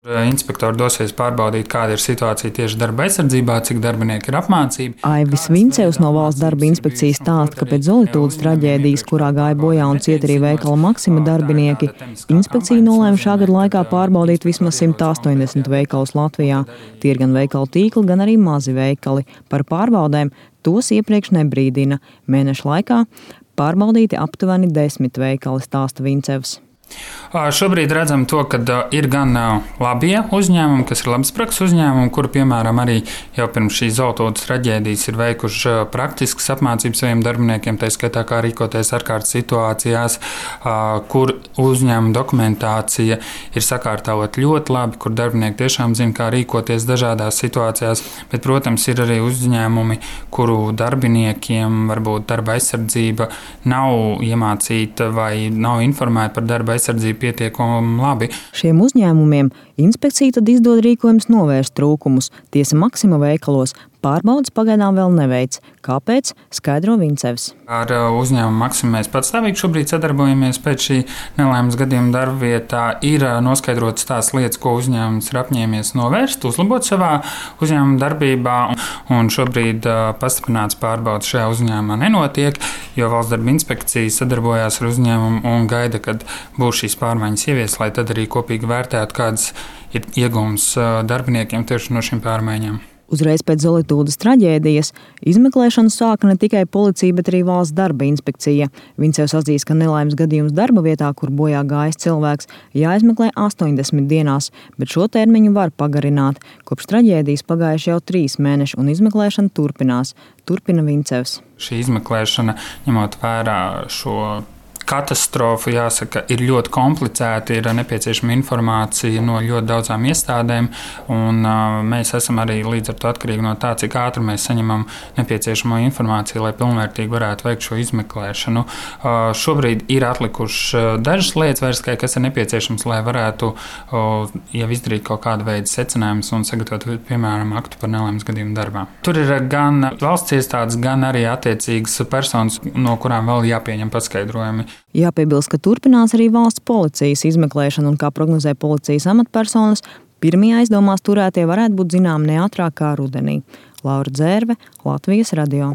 Inspektori dosies pārbaudīt, kāda ir situācija tieši darba aizsardzībā, cik darbinieki ir apmācīti. Aivis Vincevs no Valsts darba inspekcijas stāsta, ka pēc Zolitūdas traģēdijas, kurā gāja bojā un cieta arī veikala Maksima darbinieki, inspekcija nolēma šā gada laikā pārbaudīt vismaz 180 veikalus Latvijā. Tie ir gan veikalu tīkli, gan arī mazi veikali. Par pārbaudēm tos iepriekš nebrīdina. Mēneša laikā pārbaudīti aptuveni 10 veikali, stāsta Vincevs. Šobrīd redzam to, ka ir gan labie uzņēmumi, kas ir labas prakses uzņēmumi, kuri, piemēram, arī jau pirms šīs Zolitūdas traģēdijas ir veikuši praktiskas apmācības saviem darbiniekiem, tā skaitā kā rīkoties ārkārtas situācijās, kur uzņēmuma dokumentācija ir sakārtota ļoti labi, kur darbinieki tiešām zina, kā rīkoties dažādās situācijās. Bet, protams, ir arī uzņēmumi, kuru darbiniekiem varbūt darba aizsardzība nav iemācīta vai nav informēta par darba aizsardzību pietiekami labi. Šiem uzņēmumiem inspekcija tad izdod rīkojums novērst trūkumus. Tiesa Maksima veikalos pārbaudas pagaidām vēl neveic. Kāpēc? Skaidro Vincevs. Ar uzņēmumu Maksimu mēs patstāvīgi šobrīd sadarbojamies pēc šī nelaimes gadījuma darbvietā. Ir noskaidrotas tās lietas, ko uzņēmums ir apņēmies novērst, uzlabot savā uzņēmuma darbībā. Un šobrīd pastiprināts pārbaudas šajā uzņēmumā nenotiek, jo Valsts darba inspekcija sadarbojās ar uzņēmumu un gaida, kad būs šīs pārmaiņas ieviestas, lai tad arī kopīgi vērtētu, kādas ir iegūmas darbiniekiem tieši no šīm pārmaiņām. Uzreiz pēc Zolitūdas traģēdijas izmeklēšanu sāka ne tikai policija, bet arī Valsts darba inspekcija. Vincevs atzīst, ka nelaimes gadījums darba vietā, kur bojā gājis cilvēks, jāizmeklē 80 dienās, bet šo termiņu var pagarināt. Kopš traģēdijas pagājuši jau 3 mēneši un izmeklēšana turpinās. Turpina Vincevs. Šī izmeklēšana, ņemot vērā šo katastrofa, jāsaka, ir ļoti komplicēta, ir nepieciešama informācija no ļoti daudzām iestādēm, un mēs esam arī līdz ar to atkarīgi no tā, cik ātri mēs saņemam nepieciešamo informāciju, lai pilnvērtīgi varētu veikt šo izmeklēšanu. Šobrīd ir atlikušas dažas lietas vairs, kas ir nepieciešams, lai varētu jau izdarīt kaut kādu veidu secinājumus un sagatavot, piemēram, aktu par nelaimes gadījumu darbā. Tur ir gan valsts iestādes, gan arī attiecīgas personas, no kurām vēl jāpieņem paskaidrojumi. Jāpiebilst, ka turpinās arī valsts policijas izmeklēšana un, kā prognozē policijas amatpersonas, pirmie aizdomās turētie varētu būt zināmi ne ātrāk kā rudenī. Laura Dzērve, Latvijas radio.